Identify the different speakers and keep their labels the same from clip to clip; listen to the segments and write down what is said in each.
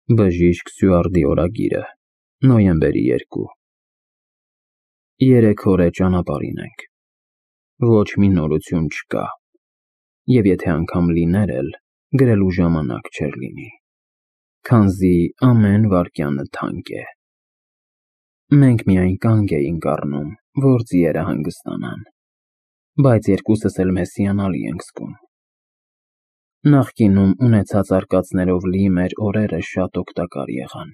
Speaker 1: Բժիշկ Սյուարդի օրագիրը, նոյեմբերի 2 3 օր է ճանապարհին ենք, ոչ մի նորություն չկա, և եթե անգամ լիներ էլ, գրելու ժամանակ չէր լինի, քանզի ամեն վայրկյանը թանկ է։ Մենք միայն կանգ էինք առնում, որ ձիերը հանգստանան, բայց երկուսս էլ մեզ հիանալի ենք զգում։ Նախկինում ունեցած արկածներով լի մեր օրերը շատ օգտակար եղան։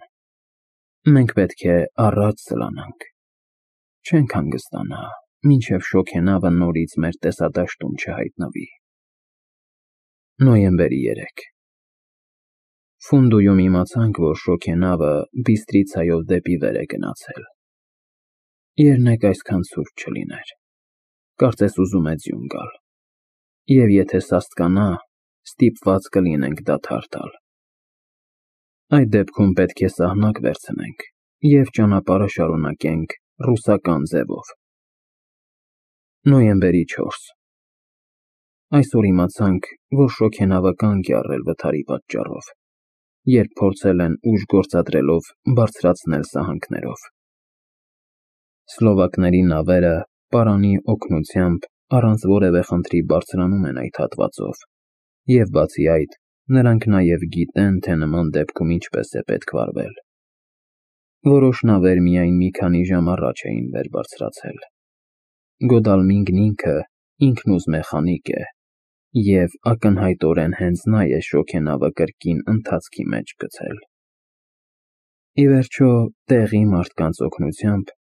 Speaker 1: Մենք պետք է առաջ սլանանք, չենք հանգստանա, մինչև շոգենավը նորից մեր տեսադաշտում չհայտնվի։ Նոյեմբերի 3 Ֆունդուում իմացանք, որ շոգենավը Բիստրիցայով դեպի վեր է գնացել։ Երնեք այսքան ցուրտ չլիներ, կարծես ուզում է ձյուն գալ, և եթե սաստկանա, ստիպված կլինենք դադար տալ։ Այդ դեպքում պետք է սահնակ վերցնենք և ճանապարհը շարունակենք ռուսական ձևով։ Նոյեմբերի 4 Այսօր իմացանք, որ շոգենավը կանգ է առել վթարի պատճառով, երբ փորձել են ուժ գործադրելով բարձրացնել սահանքներով։ Սլովակների նավերը պարանի օգնությամբ առանց որևէ խնդրի բարձրանում են այդ հատվածով, և բացի այդ, նրանք նաև գիտեն, թե նման դեպքում ինչպես է պետք վարվել։ Որոշ նավեր միայն մի քանի ժամ առաջ էին վեր բարձրացել։ Գոդալմինգն ինքը ինքնուզ մեխանիկ է, և ակնհայտորեն հենց նա է շոգենավը կրկին ընթացքի մեջ գցել։ Ի վերջո, տեղի մարդկանց օգնությամբ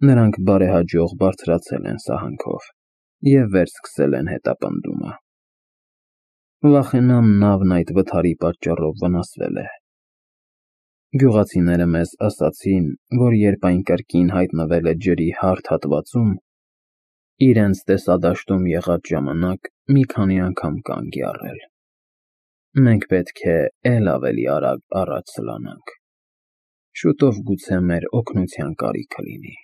Speaker 1: նրանք բարեհաջող բարձրացել են սահանքով և վերսկսել են հետապնդումը։ Վախենամ նավն այդ վթարի պատճառով վնասվել է։ Գյուղացիները մեզ ասացին, որ երբ այն կրկին հայտնվել է ջրի հարթ հատվածում, իրենց տեսադաշտում եղած ժամանակ մի քանի անգամ կանգ է առել։ Մենք պետք է էլ ավելի արագ առաջ սլանանք։ Շուտով գուցե մեր օգնության կարիքը լինի։